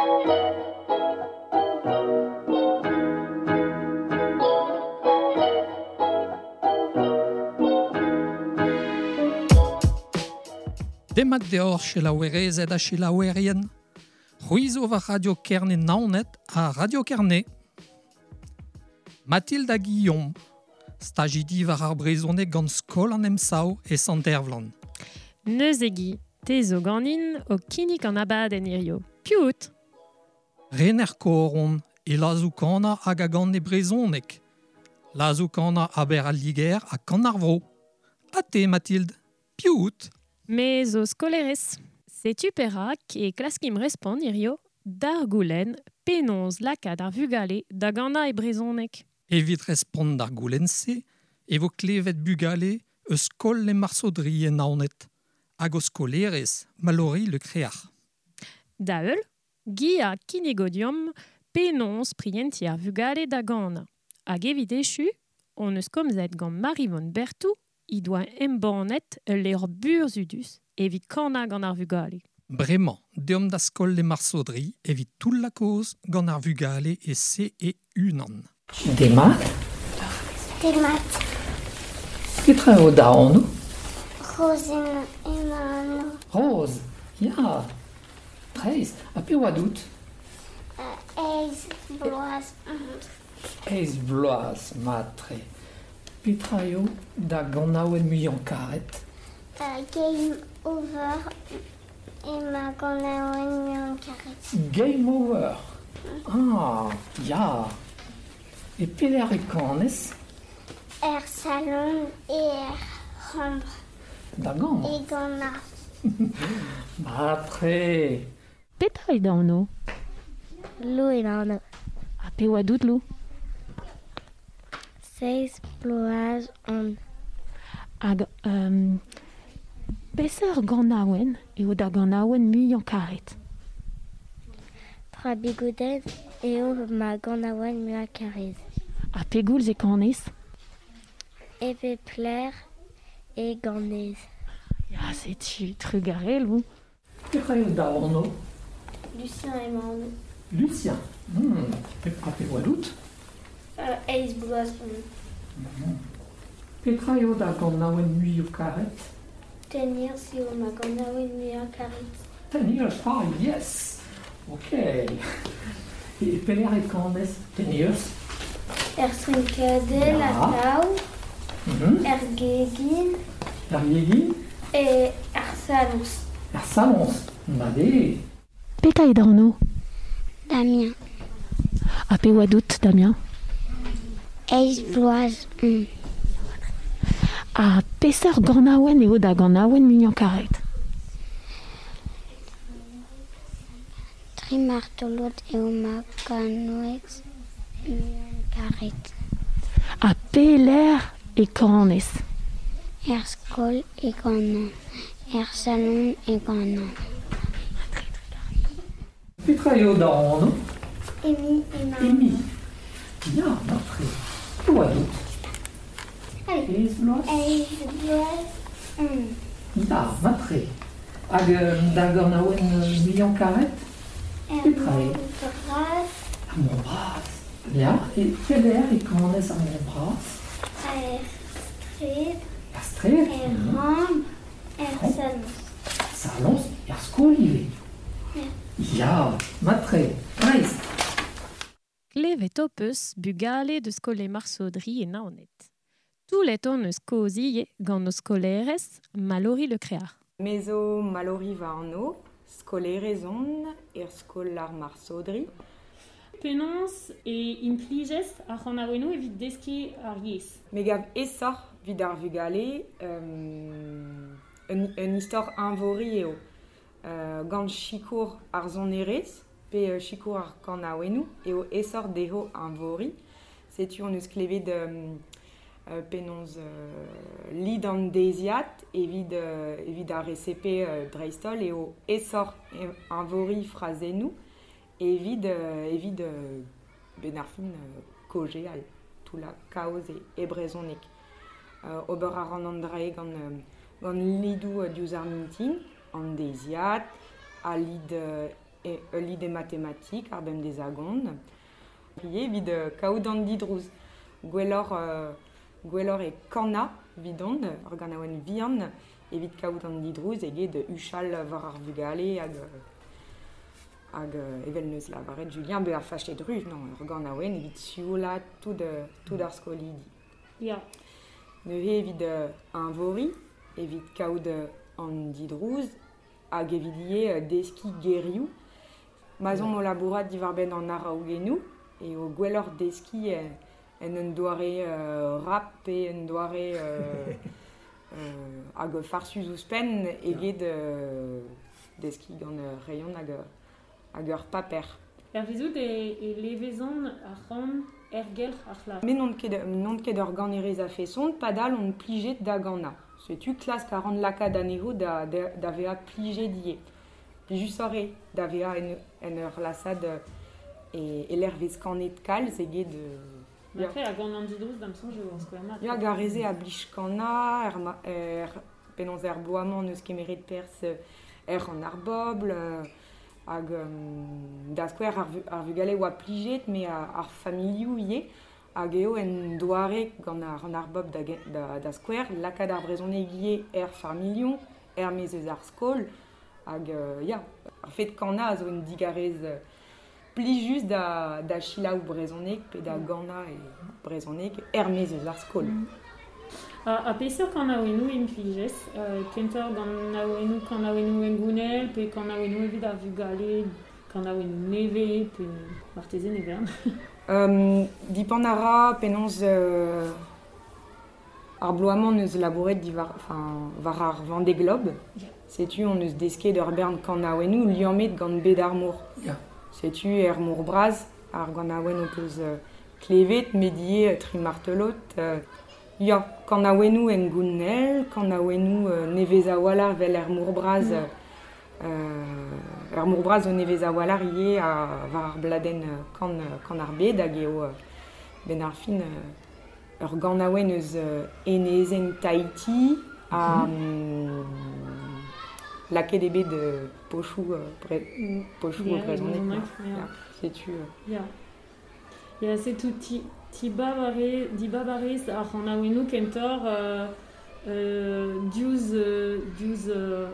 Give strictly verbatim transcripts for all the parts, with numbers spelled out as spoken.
Demat deoc'h selaouerezed ha selaouerien. C'hwi zo war Radio Kerne Naoned ha Radio Kerne. Mathilde ha Guillaume, stajidi war ar brezhoneg gant Skol an Emsav e Sant-Ervlan. Neuze Guy, te zo ganin o kinnig an abadenn hirio. Piv out ? Rener koron e lazoù-kanañ hag a gan e brezhoneg. Lazoù-kanañ aber al Liger ha kan ar vro. Ha te, Mathilde, piv out ? Me zo skolerez. Setu perak e klaskim respont hirio d'ar goulenn penaos lakaat ar vugale da ganañ e brezhoneg. Evit respont d'ar goulenn-se e vo klevet bugale eus skol Le Marsaudry e Naoned hag o skolerez Mallory Le Créac'h. Da heul, Guy a kinnigo deomp penaos prientiñ ar vugale da ganañ. Hag evit echu, on eus komzet gant Maryvonne Berthou he doa embannet ul levr burzhudus evit kanañ gant ar vugale. Bremañ, deomp da skol Le Marsaudry evit toull la kaoz gant ar vugale e C E unan. Demat. Demat. Petra eo da anv ? Rose eo ma anv. Rose, ya. Dreist, ha piv oa out ? Eizh bloaz. Eizh bloaz, mat-tre. Petra eo da ganaouenn muiañ karet ? Uh, Game Over eo ma ganaouenn muiañ karet. Game Over. Ah, ya. E pelec'h e kanez ? Er salon e er c'hambr. Da gambr ? E ganañ. Mat-tre. Petra eo da anv ? Lou eo da anv. Ha piv oa out, Lou ? Seizh bloaz on. Hag, um, peseurt ganaouenn eo da ganaouenn muiañ karet ? Tra Bigouden eo ma ganaouenn muiañ karet. Ha pegoulz e kanez ? E pep lec'h e ganez. Ya, setu trugarez, Lou. Petra eo da anv ? Lucien eo ma anv. Lucien. Hmm. Ha piv oa out ? Euh, eizh bloaz on. Hmm. Petra eo da ganaouenn muiañ karet ? Ten Years eo ma ganaouenn muiañ karet. Ten Years, ah yes. Ok. E pelec'h e kanez Ten Years ? Er strinkadell Ya. a tav, Mhm. er gegin. Er gegin ? E er saloñs. Er saloñs, mat eo. Petra eo da anv ? Damien. Ha piv oa out, Damien ? Eizh bloaz on. Ha peseurt ganaouenn eo da ganaouenn muiañ karet ? Tri martolod eo ma ganaouenn muiañ karet. Ha pelec'h e kanez ? Er skol e kanan, er salon e kanan. Petra eo da anv ? Emi eo ma Emi. anv. Ya, mat-tre. Piv oa out ? Allez. Eizh bloaz ? Eizh bloaz on. Ya, mat-tre. Hag, euh, da ganaouenn muiañ karet ? Er Petra eo ? mont bras. Ar mont bras. Ya, e pelec'h e kanez ar mont bras ? Er straed. Er straed ? Er Mhm. ramp. Er Ramp. saloñs. Saloñs, er skol ivez. Ya. Ya, mat-tre. Dreist. Klevet ho peus bugale deus skol Le Marsaudry e Naoned. Toulet on eus kaoz ivez gant o skolerez Mallory Le Créac'h. Me zo Mallory va anv, skolerez on er skol ar Marsaudry. Penaos e implijez ar c'hanaouennoù evit deskiñ ar yezh. Me gav aesoc'h evit ar vugale, euh, un, un istor eñvori eo. Euh, gant sikour ar sonerezh, pe, euh, sikour ar kanaouennoù, eo aesoc'h dezho eñvori. Setu on eus klevet, euh, euh, penaos, euh, lid an deiziad evit, euh, evit ar R C P, euh, dreist-holl eo aesoc'h eñvori frazennoù evit, euh, evit, euh, ben ar fin, euh, kaozeal, tout la kaoz e, e brezhoneg. Euh, ober a ran an drae gant, euh, gant lidou, euh, diouzh ar mintin, an deiziad, a lid, euh, e ul lide matematik ar bemdez a-gont. Ivez evit euh, kaout an didrouz. Gwelloc'h, euh, gwelloc'h e kana vidon, ur ganaouenn vihan, evit kaout an didrouz eget huchal war ar vugale hag, hag evel neus lavaret Julien be ar fachet ruz, non, ur ganaouenn evit sioula tout, tout ar skolidi. Ya. Neuze evit euh, invori, evit kaout an didrouz, hag evit ivez deski gerioù. Ma zon o labourat diwar-benn an araogennoù, e o gwelloc'h deski en un doare euh, rap pe un doare euh, euh, hag farsus ouzhpenn eget euh, deski gant ur rayon hag, hag ur paper. Er vezout e, e levezon ar c'han ergelc'h ar c'hlas. Me n'on ket, n'on ket ur ganerez a feson, padal on plijet da gana. Setu klask a ran lakaat anezho da, da, da vezañ plijet ivez. Plijusoc'h eo da vezañ en, en ur lasad e, e lec'h vez kanet kalz eget... Euh, ya. Après, a gant an didrouz da'm soñj eo ar skouer mat. Ya, gareze a blij kana, er, ma, er penaos er bloaz-mañ n'eus kemeret perzh er an ar bobl, hag um, da skouer ar, ar vugale oa plijet, me ar, ar familhoù ivez, hag eo en doare gant ar an ar bobl da, da, da skouer, lakaat ar brezhoneg ivez er familhoù, er maez eus ar skol, hag euh, ya, ar fet kana a zo un digarez plijus da, da selaou brezhoneg pe da gana e brezhoneg er maez eus ar skol. Mm. A, a peseurt kanaouennoù implijez? Euh, kentoc'h kanaouennoù kanaouennoù hengounel pe kanaouennoù evit ar vugale, kanaouennoù nevez pe marteze ne vern. um, dipant a ra penaos euh, ar bloaz-mañ neus labouret diwar, enfin, war ar Vendée Globe. Yeah. Setu on eus desket ur bern kanaouennoù liammet gant bed ar mor. Yeah. Setu er mor bras ar ganaouenn o peus euh, klevet, medie, tri martelot. Euh, ya, kanaouennoù hengounel, kanaouennoù euh, nevez a-walc'h vel er mor bras. Mm. Euh, er mor bras o nevez a-walc'h ivez a, war ar bladenn kan, kan ar bed hag eo euh, ben ar fin euh, ur ganaouenn eus euh, enezenn Tahiti a mm. lakaet eo bet euh, pochoù euh, bre, pochoù yeah, brezhoneg. Ya, ya. Setu. Euh. Ya. Ya, setu ti, ti babare, di babarez ar c'hanaouennoù kentoc'h euh, euh, diouzh, euh, diouzh euh,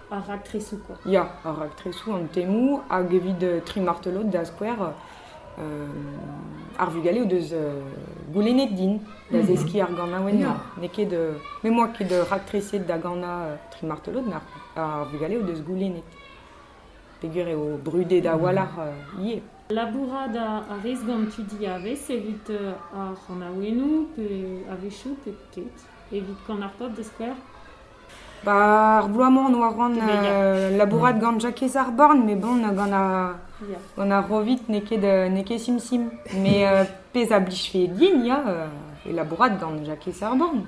ar raktresoù, quoi. Ya, ar raktresoù an temoù hag evit euh, tri martelot da skouer euh, ar vugale o deus euh, goulennet din da mm -hmm. zeskiñ ar ganaouenn. Ya. N'eo ket euh, me moa ket raktreset da gana euh, tri martelot, mais ar, ar vugale o deus goulennet. Peogwir eo brudet a-walc'h euh, ivez. Labourat a, a rez gant tud diavez evit euh, ar c'hanaouennoù pe a-wechoù pe ket, evit kan ar pop da skouer. Ba, ar bloaz-mañ on oa ran euh, labourat mm. gant Jakez ar Born, mais bon, gant ar, yeah. gant ar Rovit n'eo ket, n'eo ket sim-sim. Mais euh, pezh a blijfe din, ya, euh, e labourat gant Jakez ar Born.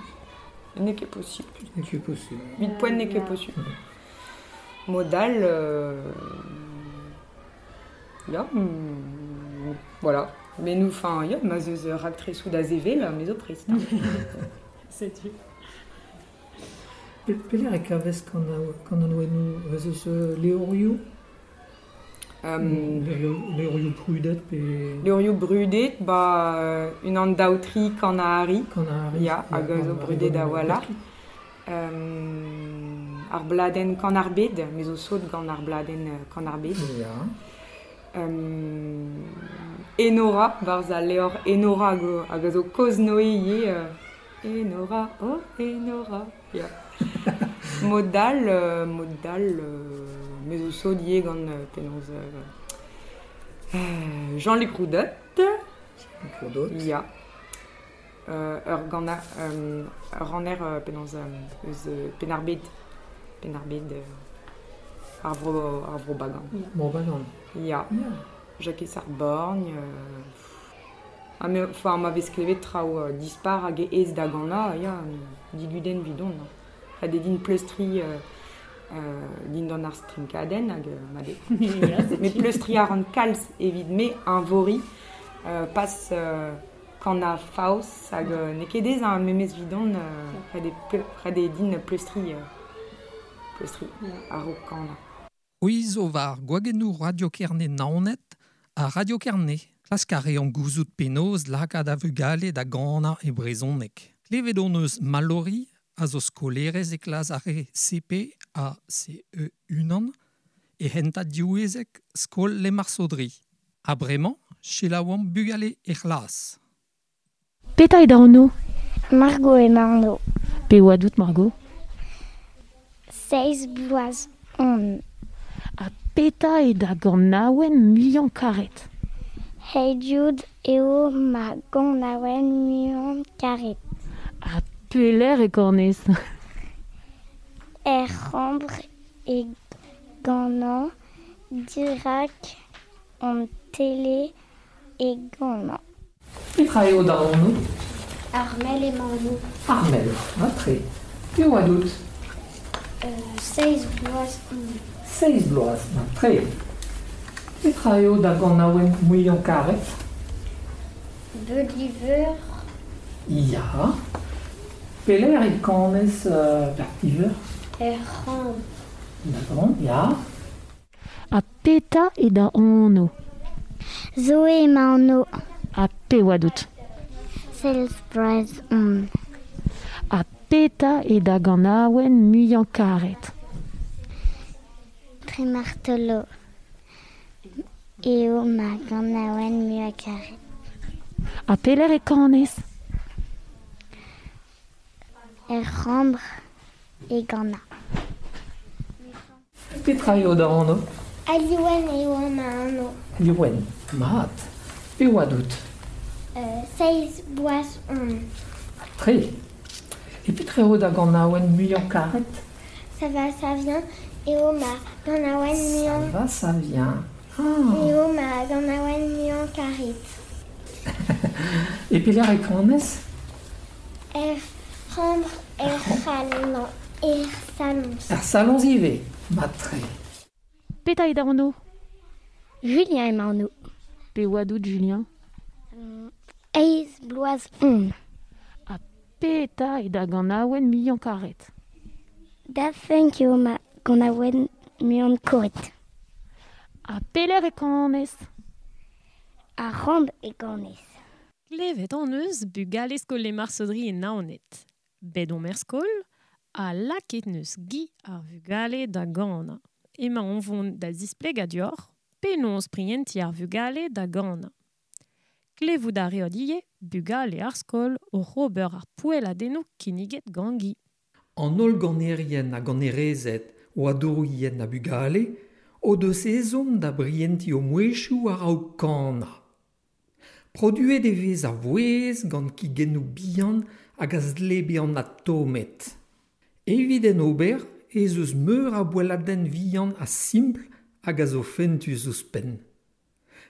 N'eo ket possible. N'eo ket possible. Huit poent n'eo ket yeah. possible. Modal, euh, ya, mm, voilà. Mais nous, enfin, ya, ma zeus raktresoù da zevel, me zo prest. Setu. Pelec'h e kavez kanaouennoù ez eus levrioù? Um, levrioù brudet pe... Levrioù brudet, ba, unan daou tri Kanahari. Kanahari. Ya, hag a zo brudet a-walc'h. Um, ar bladenn Kan ar bed, me zo sot gant ar bladenn Kan ar bed. Ya. Um, Enora, barzh al levr Enora hag, hag a zo kozh-Noe ivez. Euh, Enora, oh Enora. Ya. Modal, euh, modal, euh, me zo sot ivez gant euh, penaos euh, euh, Jean-Luc Roudot. Jean-Luc Roudot. Ya. Euh, ur gant euh, ur ranner euh, penaos euh, eus euh, Penn-ar-Bed. Penn-ar-Bed, euh, ar vro, ar vro Bagan. Yeah. Vro Bagan. Ya. Yeah. Jakez ar Borgn. Euh, ah, mais, enfin, ma vez klevet traoù euh, dispar hag ez da gana, ya, digudenn vidon. Ha de din pleustri euh, euh, dindan ar strinkadenn hag euh, ma de. Mais pleustri ar an kalz evit me invori euh, pas euh, kan a faos hag euh, n'eo ket ez an memez vidon euh, ret eo din pleustri euh, pleustri yeah. a-raok kana. C'hwi zo war gwagennoù Radio Kerne Naoned ha Radio Kerne. Klask a reomp gouzout penaos lakaat a vugale da ganañ e brezhoneg. Klevet hon eus Mallory a zo skolerez e klas ar re C P A C E unan e hentad diwezhek skol Lemarsodri. Ha bremañ, selaouomp bugale e c'hlas. Petra eo da anv ? Margot eo ma anv. Pe oa dout, Margot ? Seizh bloaz on. Ha petra eo da ganaouenn muiañ karet ? Hey Jude eo ma ganaouenn muiañ karet. Ha pelec'h e kanez ? Er c'hambr e ganañ, dirak an tele e ganañ. Petra eo da anv ? Armel eo ma anv. Armel, mat-tre. Pe oa dout ? Euh, seizh bloaz on. Seizh bloaz, mat-tre. Petra eo da ganaouenn muiañ karet ? Beliveur. Ya. Pelec'h e kanez, euh, Beliveur ? Er c'hambr. D'accord, ya. Ha petra eo da anv ? Zoé eo ma anv. Ha pe oa dout ? Seizh bloaz on. Ha petra eo da ganaouenn muiañ karet ? Tri martolo eo ma ganaouenn muiañ karet. Ha pelec'h e kanez ? Er c'hambr e ganañ. Petra eo da anv ? Aliwen eo ma anv. Aliwen, mat. Pe oa dout ? Euh, seizh bloaz on. Tre. E petra eo da ganaouenn muiañ karet ? Ça va, ça vient. Eo ma ganaouenn muiañ. Ça va, ça vient. Ah. Eo ma ganaouenn muiañ karet. E pelec'h e kanez ? Er c'hambr, er salon. Er salon. Er salon ivez. Mat-tre. Petra eo da anv ? Julien eo ma anv. Pe oa dout, Julien ? Eizh bloaz on. Ha petra eo da ganaouenn muiañ karet ? Daft Punk eo ma ganaouenn muiañ karet. Ha pelec'h e kanez ? Ar c'hambr e kanez. Klevet hon eus bugale skol Lemarsodri e Naoned. Bet omp er skol, ha lakaet neus Guy ar vugale da ganañ. Emañ on vont da zisplegañ deoc'h penaos prientiñ ar vugale da ganañ. Klevout a reot ivez bugale ar skol oc'h ober ar poelladennoù kinniget gant Guy. An holl ganerien ha ganerezed o adourien ha bugale o deus ezhomm da brientiñ o mouezhioù a-raok kanañ. Produet e vez ar vouezh gant kigennoù bihan hag a zle bezañ atomet. Evit en ober ez eus meur a boelladenn vihan ha simpl hag a zo fentus ouzhpenn.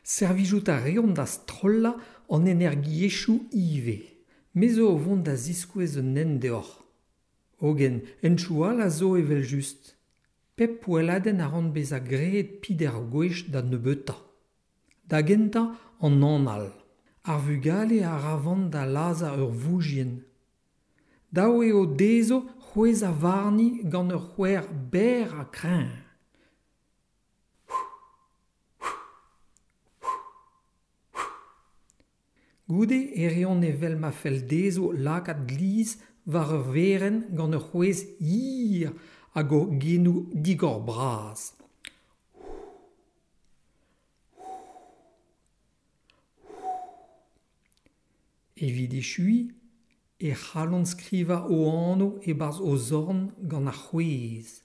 Servijout a reont da strollañ an energiezhioù ivez. Me zo o vont da ziskouez un hent deoc'h. Hogen, hentchoù all a zo evel-just. Pep poelladenn a ran bezañ graet peder gwech da nebeutañ. Da gentañ an anal. Ar vugale a ra van da lazhañ ur voujien. Dav eo dezho c'hwezhañ warni gant ur c'hwer berr ha kreñv. Goude e reont evel ma fell dezho lakaat glizh war ur werenn gant ur c'hwezh hir hag o genoù digor bras. Evit echuiñ e c'hallont skrivañ o anv e-barzh o zorn gant ar c'hwezh.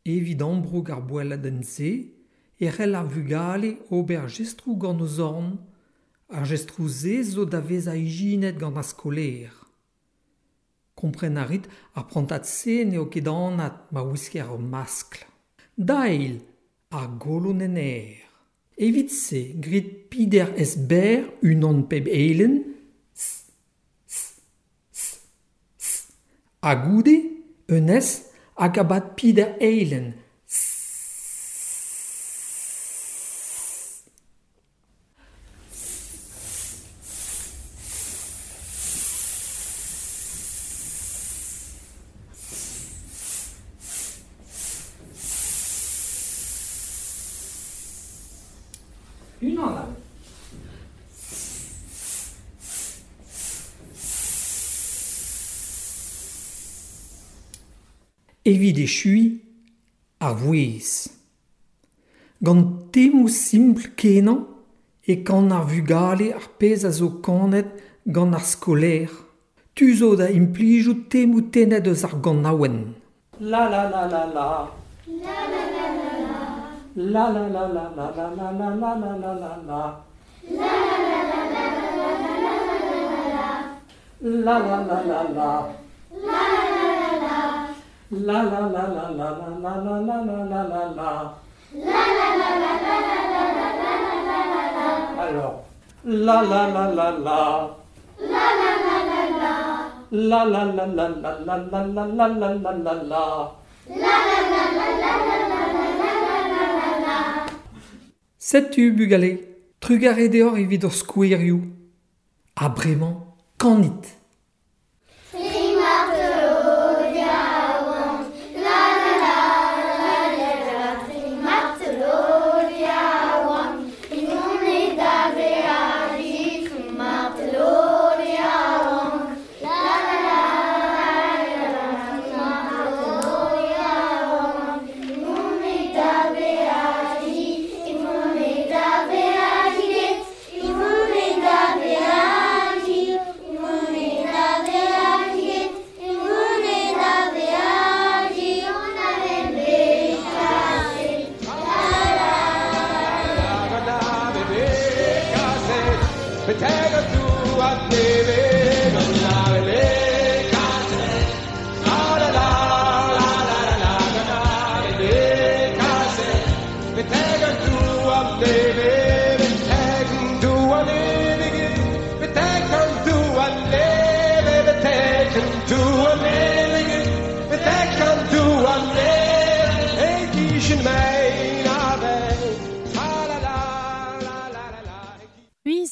Evit ambroug ar boelladenn-se e c'hell ar vugale ober jestroù gant o zorn. Ar jestroù-se zo da vezañ ijinet gant ar skolaer. Kompren a rit ar prantad-se n'eo ket anat ma wisker ur maskl. Da eil, ar golon en aer. Evit se, grit pider es berr unan peb eilenn, s, s, s, s. Ha goude, un es hag abat pider eilenn, s. Unan all. Evit echui ar vouezh. Gant temoù simpl kenañ e kan ar vugale ar pezh a zo kanet gant ar skolaer. Tu zo da implijout temoù tennet eus ar ganaouenn. La la la la la. La la la la la. La la la la la la la la la la la la la. La la la la la la la la la la la. La la la la la. La la la la la. La la la la la la la la la la la la. La la la la la la la la la la la. Alors, la la la la la. La la la la la. La la la la la la la la la la la la la. La la la la la la la la la la la la. Setu bugale, trugarez deoc'h evit ur skouerioù. Ha bremañ, kanit.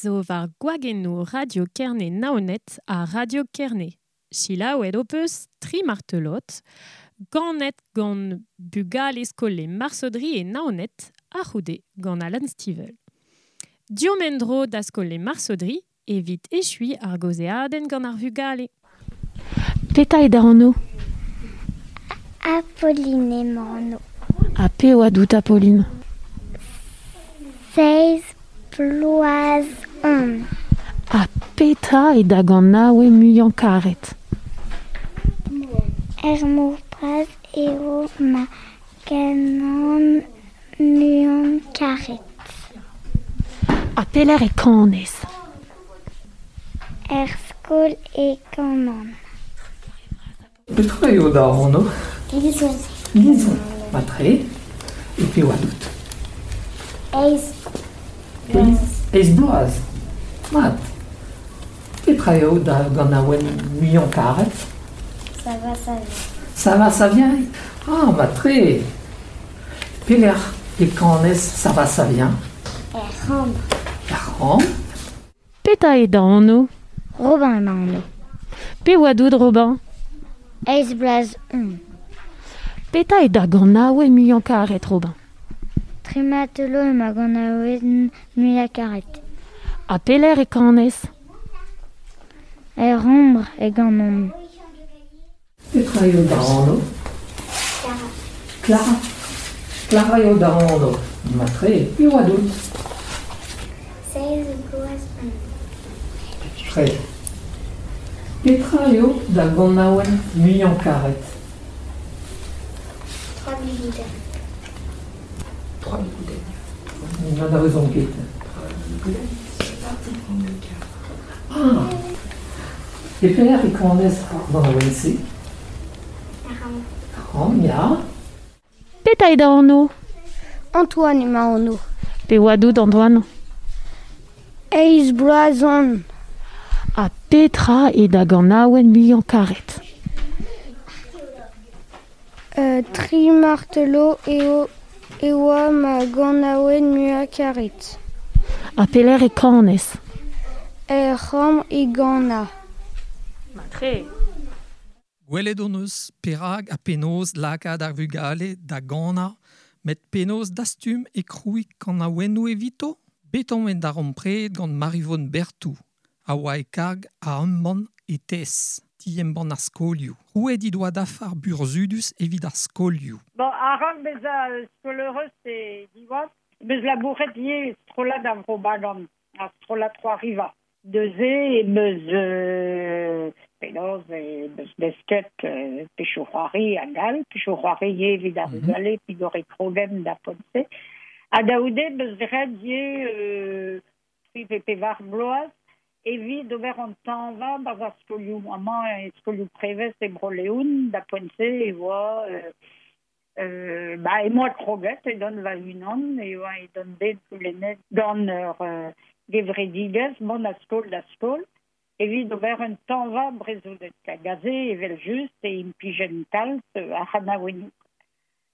Zo war gwagennoù Radio Kerne Naoned ha Radio Kerne. Selaouet ho peus tri martelot, ganet gant bugale skol Marsodri e Naoned a c'houde gant Alan Stivell. Diomp en-dro da skol Marsodri evit echui ar gaozeadenn gant ar vugale. Petra eo da anv? Apolline emañ anv. Ha pe oa dout Apolline? Seizh bloaz on. Ha petra eo da ganaouenn muiañ karet? Er mor bras eo ma ganaouenn muiañ karet. Ha pelec'h e kanez? Er skol e kanan. Petra eo da anv? Lizon. Lizon, matre. E pe oa dout? Eizh. Eizh bloaz. Mat. Petra eo da ganaouenn muiañ karet? Ça va, ça vient. Ça va, ça vient? Ah, matre. Pelec'h e kanez ça va, ça vient? Er c'hambr. Er c'hambr. Petra eo da anv? Robin emañ anv. Pe oa dout Robin? Eizh bloaz on. Petra eo da ganaouenn muiañ karet, Robin? Tri martelo eo ma ganaouenn muiañ karet. Ha pelec'h e kanez? Er c'hambr e ganan. Petra eo da anv? Clara. Clara. Clara eo da anv. Matre, pe oa dout? Seizh bloaz on. Tre. Petra eo da ganaouenn muiañ karet? Trois bigoudennes. Trois bigoudennes. N'en a raison ket. Trois bigoudennes, c'est parti prendre le car. Ah. E pelec'h e kanez ar ganaouenn-se? Er c'hambr. Er c'hambr, ya. Petra eo da anv? Antoine emañ anv. Pe oa dout Antoine? Eizh bloaz on. Ha petra eo da ganaouenn muiañ karet? Euh, tri martelo eo e oa ma ganaouenn muiañ karet. Ha pelec'h e kanez? Er c'hambr e ganañ. Matre. Gwelet hon eus perak ha penaos lakaat ar vugale da ganañ, met penaos dastum e krouiñ kanaouennoù evito? Bet omp en darempred gant Maryvonne Berthou, a oa e karg a embann e TES, ti embann ar skolioù. Roet he doa dafar burzhudus evit ar skolioù. Bon, a-raok bezañ skolaerez e Diwan, meus labouret ivez strollad ar Vro Bagan, ar strollad C'hoariva. Neuze e meus euh, penaos e meus desket euh, pechoù c'hoari hag all, pechoù c'hoari ivez evit ar vugale, pigor e krogen da poent-se. Ha da c'houde meus graet ivez euh, tri pe pevar bloaz evit ober an tañva barzh ar skolioù. Amañ e skolioù prevez e Bro-Leon, da poent-se e oa euh, euh, ba e moa kroget edon va-unan, e oa edon bet goulennet gant ur euh, gevredigezh mont a skol da skol, evit ober un tañva brezhoneg. Hag aze evel-just e implijen kalz ar c'hanaouennoù.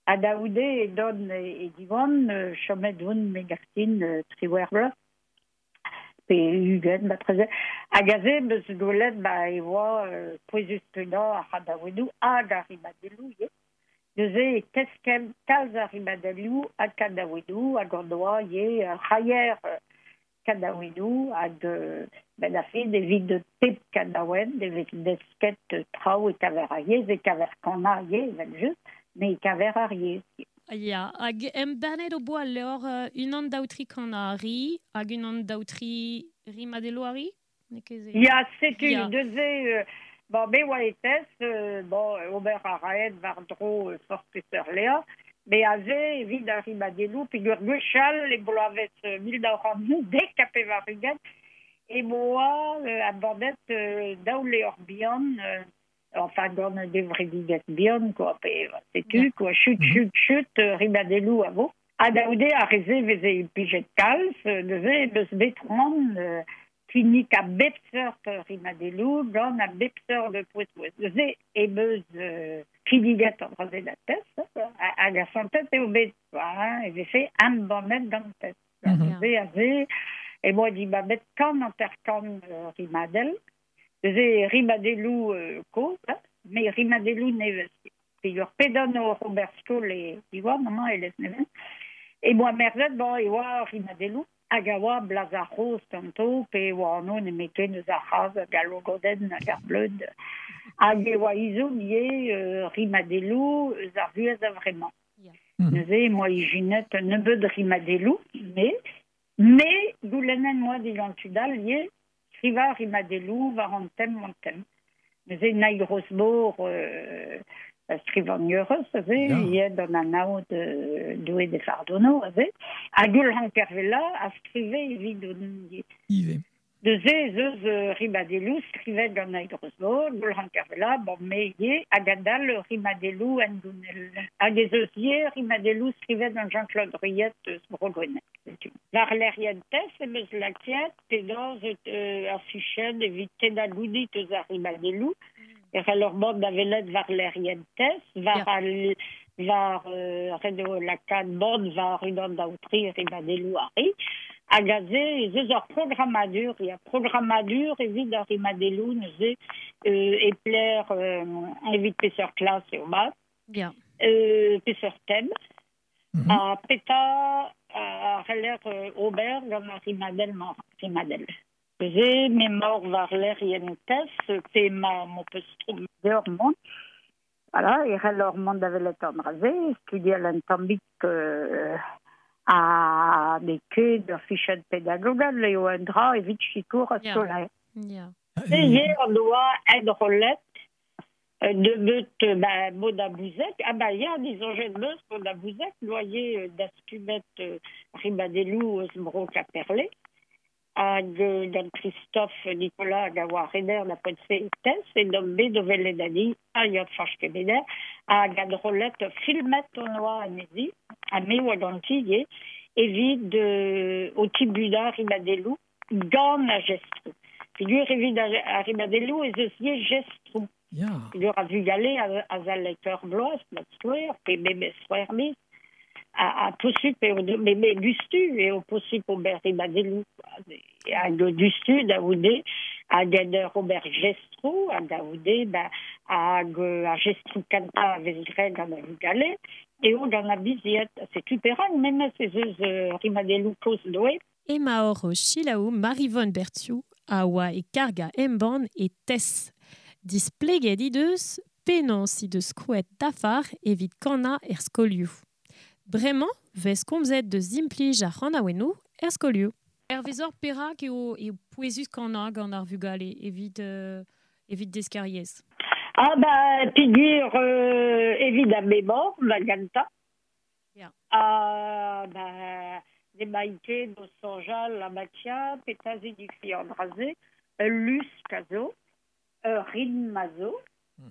Ha da c'houde edon e Diwan, chomet on me gartin triwec'h bloaz, pe ugent marteze. Hag aze meus gwelet ba e oa pouezus-kenañ ar c'hanaouennoù hag ar rimadelloù ivez. Neuze e teskem kalz ar rimadelloù hag kanaouennoù hag an doa ivez ur c'haier kanaouennoù hag ben a fin evit pep kanaouenn evit desket traoù e kaver ar yezh, e kaver kanañ ivez evel-just, met e kaver ar yezh. Ya, hag embannet o boa levr uh, unan daou tri kanañ a ri, hag unan daou tri rimadelloù a ri? N'eo ket se? Ya, setu, Ya. neuze, euh, bon, me oa e TES, euh, bon, ober a raet war-dro euh, forzh peseurt levr, met aze evit ar rimadelloù, peogwir gwechall e bloavezh euh, mil nav c'hant dek ha pevar-ugent, e boa euh, embannet euh, daou levr bihan, euh, enfin gant un gevredigezh bihan, quoi, pe setu, quoi, chut, chut, chut, euh, rimadelloù a vo. Ha da c'houde ar re-se veze implijet kalz, euh, neuze meus bet c'hoant euh, kinnig a bep seurt rimadelloù gant a bep seurt pouez-pouez. Neuze e meus euh, kinniget an dra-se da TES, hag asantet eo bet, quoi, hein, e vefe embannet gant TES. Neuze aze, e boa dibabet kant hanter-kant euh, rimadell. Neuze rimadelloù euh, kozh, hein, met rimadelloù nevez. Peogwir pedan o Robert Skol e Diwan, amañ e Lesneven. E boa merzet, bon, e oa rimadelloù, hag a oa blaz ar c'hozh ganto, pe oa anv nemeten eus ar c'hazh hag al logodenn hag ar bleud. Hag e oa ezhomm ivez euh, rimadelloù eus ar vuhez a-vremañ. Neuze e moa ijinet un nebeud rimadelloù, mais, mais goulennet moa digant tud all ivez skrivañ rimadelloù war an tem an tem. Neuze Naig Rozmor euh, skrivagnerez aze, ivez d'an anaout euh, Doue d'he fardono aze, hag Goulc'han Kervella a skrive evit on Ivez. Neuze ez eus euh, rimadelloù skrivet gant Naig Rozmor, Goulc'han Kervella, bon, me ivez, hag adal rimadelloù en gounel. Hag ez eus ivez rimadelloù skrivet gant Jean-Claude Ruyet eus Bro-Gwened. War lec'hienn TES em eus lakaet penaos euh, ar fichenn evit tennañ gounid eus ar rimadelloù. E c'hell ur mont da welet war lec'hienn TES, war al war euh, ret eo lakaat mont war unan daou tri rimadelloù a ri. Hag aze ez eus ur programmadur, ya programmadur evit ar rimadelloù neuze euh, e pler euh, evit peseurt klas eo mat. Ya. Euh, peseurt tem. Ha petra a c'heller euh, ober gant ar rimadell-mañ rimadell. Neuze m'emaoc'h war lec'hienn TES, pe ma m'ho peus tro deoc'h mont. Voilà, e c'heller mont da welet an dra-se, studial un tammig euh, ha n'eo ket ur fichenn pedagogel eo un dra evit sikour ar skolaer. Ya. E ivez an doa enrollet nebeut ba, Mona Bouzec, ah ba ya, disoñjet meus Mona Bouzec, loyer dastumet euh, rimadelloù eus Bro Quimperlé, hag euh, gant Christophe Nicolas hag a oa rener da poent-se e TES, e d'om bet o welet anezhi, ha ya Fañch Kemener, hag enrollet filmet on oa anezhi, ha me oa ganti ivez, evit euh, o tibunañ rimadelloù gant ar jestroù. Peogwir evit ar rimadelloù ez eus ivez jestroù. Ya. Peogwir ar vugale a, a zalek ur bloaz, da skouer, pe memes c'hwec'h miz, a, a posupl eo, me, me dustu eo posupl ober rimadelloù. Hag dustu da c'houde, hag en ur ober jestroù, hag da c'houde, ba, hag ar jestroù kentañ a vez graet gant ar vugale, eo gant ar bizied. Setu perak memes ez eus euh, rimadelloù kozh doe. Emaor o selaou Maryvonne Berthiou a oa e karga embann e Tess. Displeget he deus penaos he deus krouet dafar evit kannañ er skolioù. Bremañ vez komzet deus implij ar c'hanaouennoù er skolioù. Hervezor perak eo eo pouezus kannañ gant ar vugale evit euh, evit deskiñ ar yezh. Ah ba peogwir euh, evit ar memor da gentañ. Ya. Ah ba n'emaint ket o soñjal la matia petra signifie an dra-se, ul lusk a zo, ur ritm a zo,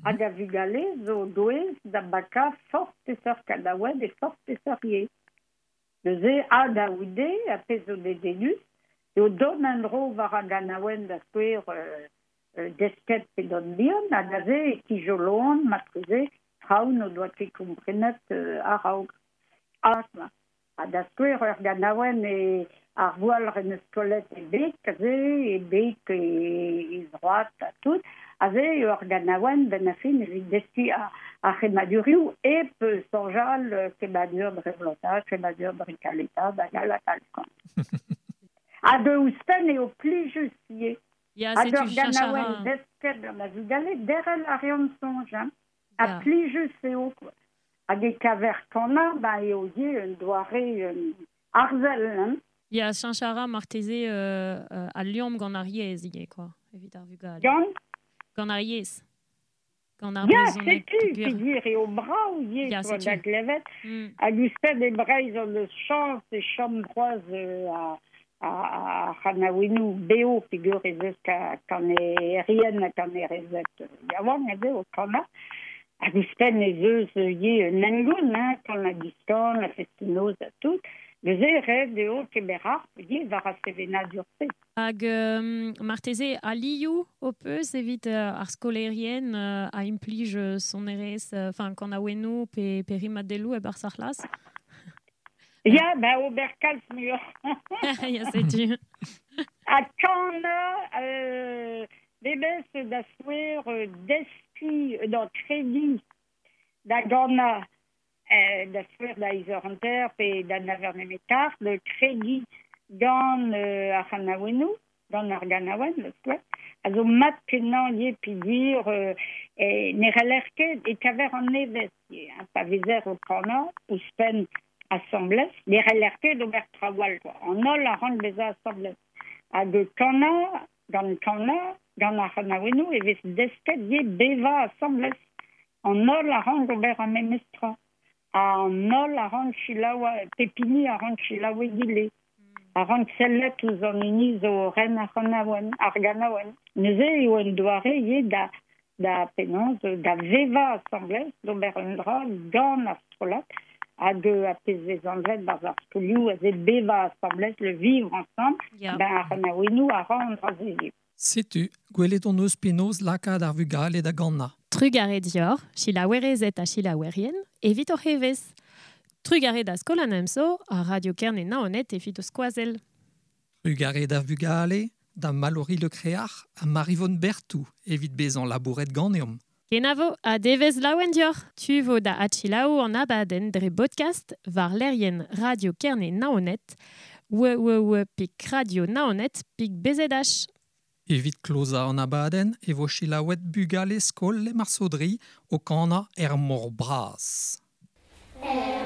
hag a vugale zo douez da bakañ forzh peseurt kanaouenn e forzh peseurt yezh. Neuze ha da goude a pezh zo dedennus eo dont en-dro war ar ganaouenn da skouer euh, euh, desket pe dont bihan hag aze e tijoloan marteze traoù n'o doa ket komprenet euh, a-raok. Ah, ha da skouer ur ganaouenn e ar voualc'h en eus kollet e beg, aze, e beg e, e zroad ha tout, aze eo ur ganaouenn benn ar fin evit deskiñ ar, ar c'hemmadurioù hep soñjal kemmadur dre vlotañ, kemmadur dre kaletañ, hag all hag all. Hag ouzhpenn eo plijus ivez. Ya, Hag setu ur cheñch a ra. ganaouenn desket gant ar vugale, derc'hel a reont soñj, hein. Ha Ya. plijus eo, quoi. Hag e kaver kannañ, ba eo ivez un doare un arzel, hein. Ya, cheñch a ra marteze euh, euh, al liamm gant ar yezh ivez, quoi, evit ar vugale. Gant? Gant ar yezh. Gant ar Ya, brezhoneg setu, peogwir. peogwir eo brav ivez, Ya, quoi, setu. da glevet. Mm. Hag ouzhpenn e Breizh hon eus chañs e chom c'hoazh euh, a, a, a c'hanaouennoù bev peogwir ez eus ka, kanerien ha kanerezed yaouank aze o kannañ. Hag ouzhpenn ez eus ivez un hengoun, hein, kan ha diskan, la fest-noz ha tout. Neuze ret eo kemer harp ivez war ar sevenadur-se. Hag euh, marteze alioù ho peus evit euh, ar skolaerien euh, a implij euh, sonerezh, enfin euh, kanaouennoù pe, pe rimadelloù e-barzh ar c'hlas? Ya, ba ober kalz muioc'h. Ya, setu. Ha kannañ, euh, memes da skouer euh, deskiñ, euh, non, krediñ da gannañ, euh, da skouer da eizh eur hanter pe da nav eur nemet kart, de krediñ gant euh, ar c'hanaouennoù, gant ar ganaouenn, da skouer, a zo mat kenañ ivez peogwir euh, e ne c'heller ket e kaver an nevez ivez, hein, pa vezer o kannañ, ouzhpenn asambles, ne c'heller ket ober traoù all, quoi. An holl a rank bezañ asambles. Hag kannañ, gant kannañ, gant ar c'hanaouennoù e vez desket ivez bevañ asambles. An holl a rank ober ar memes tra. An holl a rank selaou, pep hini a rank selaou egile. A rank sellet ouzh an hini zo ren ar c'hanaouenn, ar ganaouenn. Neuze eo un doare ivez da, da penaos, da vevañ asambles, d'ober un dra gant ar strollad, hag a pezh vez anvet barzh ar skolioù aze bevañ asambles, le vivre ensemble, Ya. ben ar c'hanaouennoù a ra an dra-se ivez. Setu, gwelet hon eus penaos lakaat ar vugale da gannañ. Trugarez dior, selaouerezed ha selaouerien, evit hoc'h evezh. Trugarez da Skol an Emsav ha Radio Kerne Naoned evit o skoazell. Trugarez da vugale, da Mallory Le Créac'h ha Maryvonne Berthou evit bezañ labouret ganeomp. Kenavo ha devezh laouen dioc'h. Tu vo da adselaou an abadenn dre bodkast war lec'hienn Radio Kerne Naoned, www pik radio naoned pik bzh. Evit klozañ an abadenn e vo selaouet bugale skol Lemarsodri o kannañ er mor bras. Er